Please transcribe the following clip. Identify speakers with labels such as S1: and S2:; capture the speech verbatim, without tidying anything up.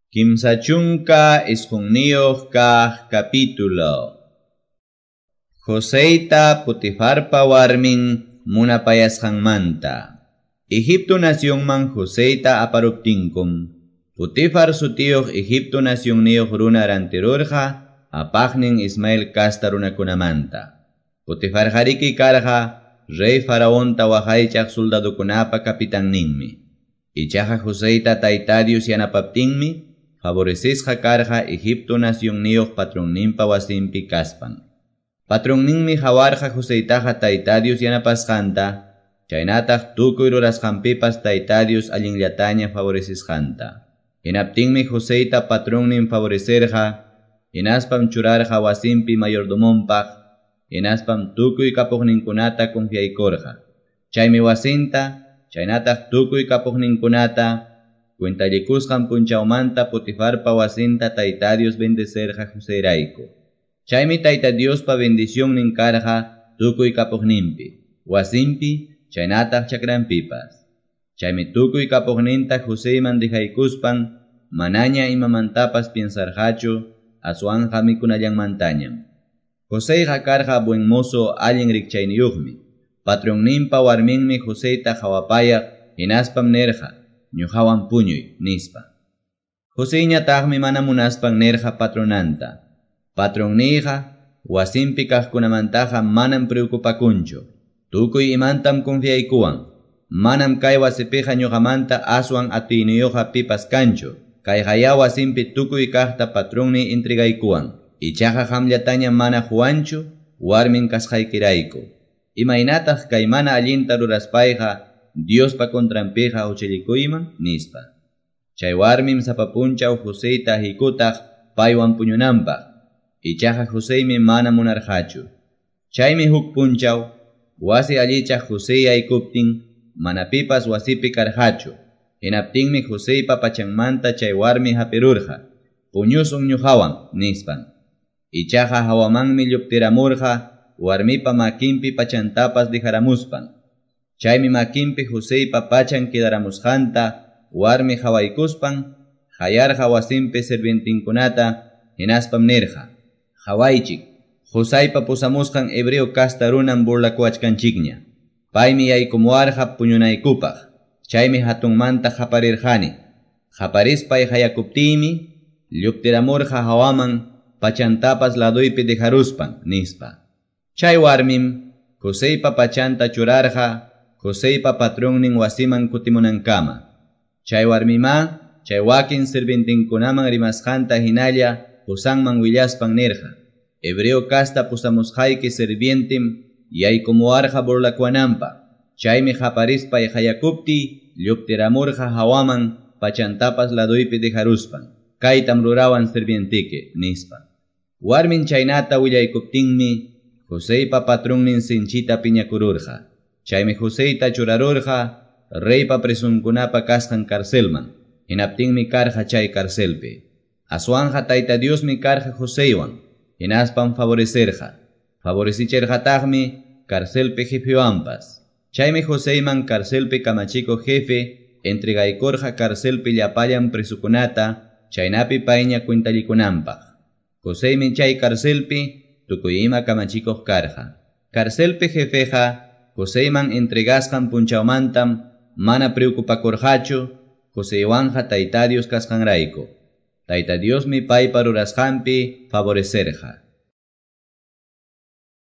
S1: Kimsa chunka isqunniyuq kaq capítulo. Joseyta Potifarpa warmin munapayasqanmanta. Egipto nacionman Joseyta aparuptinkum, Potifar sutiyuq Egipto nacionniyuq runa rantirurqa apaqnin Ismael kasta runakunamanta. Potifar hariki karqa rey faraonta waqaychaq soldadukunapa capitanninmi. Ichaqa Joseyta Tayta Dios yanapaptinmi favorecisqa karqa Egipto nacionniyuq patronninpa wasinpi kaspan. Patronninmi hawarqa Joseytaqa Tayta Dios yanapasqanta, chaynataq tukuy rurasqanpipas Tayta Dios allinllataña favorecisqanta. Hinaptinmi Joseyta patronnin favorecerqa, hinaspam churarqa wasinpi mayordomonpaq, hinaspam tukuy kapuqninkunata confiaykurqa. Chaymi wasinta, chaynataq tukuy kapuqninkunata, cuentallikusqan punchawmanta Potifarpa wasinta Tayta Dios bendecerqa Joseyrayku. Chaymi Tayta Diospa bendicionnin karqa tukuy kapuqninpi, wasinpi, chaynataq chakranpipas. Chaymi tukuy kapuqninta Joseyman dejaykuspan manaña imamantapas piensarqachu, aswanqa mikunallanmantañam. Joseyqa karqa buen mozo allin rikchayniyuqmi. Patronninpa warminmi Joseyta hawapayaq hinaspam nirqa, ñuqawan puñuy, nispa. Joseyñataqmi mana munaspan nirqa patronanta. Patronniyqa wasinpi kaqkunamantaqa manam preocupakunchu. Tukuy imantam confiaykuwan. Manam kay wasipiqa ñuqamanta aswan atiyniyuqqa pipas kanchu. Kayqaya wasinpi tukuy kaqta patronniy entregaykuwan. Ichaqa qamllataña mana huwanchu warmin kasqaykirayku. Imaynataq kay mana allinta ruraspayqa Diospa contranpiqa huchallikuyman, nispa. Chay warmim sapa punchaw Joseyta hikutaq paywan puñunanpaq. Ichaqa Joseymi mana munarqachu. Chaymi huk punchaw wasi allichaq Josey yaykuptin mana pipas wasipi karqachu. Hinaptinmi Joseypa pachanmanta chay warmi hapirurqa, puñusun ñuqawan, nispan. Ichaqa hawamanmi lluptiramurqa warmipa makinpi pachantapas dejaramuspan. Chaymi makinpi Joseypa pachan quedaramusqanta warmi hawaykuspan hayarqa wasinpi sirvientinkunata hinaspam nirqa, hawaychik, Joseypa pusamusqan hebreo kasta runam burlakuwachkanchikña. Paymi yaykumuwarqa puñunaykupaq. Chaymi hatunmanta qaparirqani. Qaparispay hayakuptiymi lluptiramurqa hawaman pachantapas laduypi dejaruspan, nispa. Chay warmim Joseypa pachanta churarqa Joseypa patronnin wasiman kutimunankama. Chay warmima, chay wakin sirvientinkunaman rimasqanta hinalla qosanman willaspan nirqa, hebreo kasta pusamusqayki sirvientim yaykumuwarqa burlakuwananpaq. Chaymi qaparispay hayakuptiy lluptiramurqa hawaman pachantapas laduypi dejaruspan. Kaytam rurawan sirvientiki, nispa. Warmin chaynata willaykuptinmi Joseypa patronnin sinchita piñakururqa. Chaymi Joseyta churarurqa reypa presunkunapa kasqan carcelman. Hinaptinmi karqa chay carcelpi. Aswanja Tayta Diosmi karqa Joseywan, hinaspam favorecerqa. Favorecicherqataqmi carcelpi jefewanpas. Chaymi Joseyman carcelpi kamachikuq jefe entregaykurqa carcelpi llapallan presukunata chaynapi payña cuentallikunanpaq. Joseymi chay carcelpi tukuy ima kamachikuq karqa. Carcelpi jefeqa Joseyman entregasqan punchawmantam mana preocupakurqachu Joseywanqa Tayta Dios kasqanrayku. Tayta Diosmi paypa rurasqanpi favorecerqa.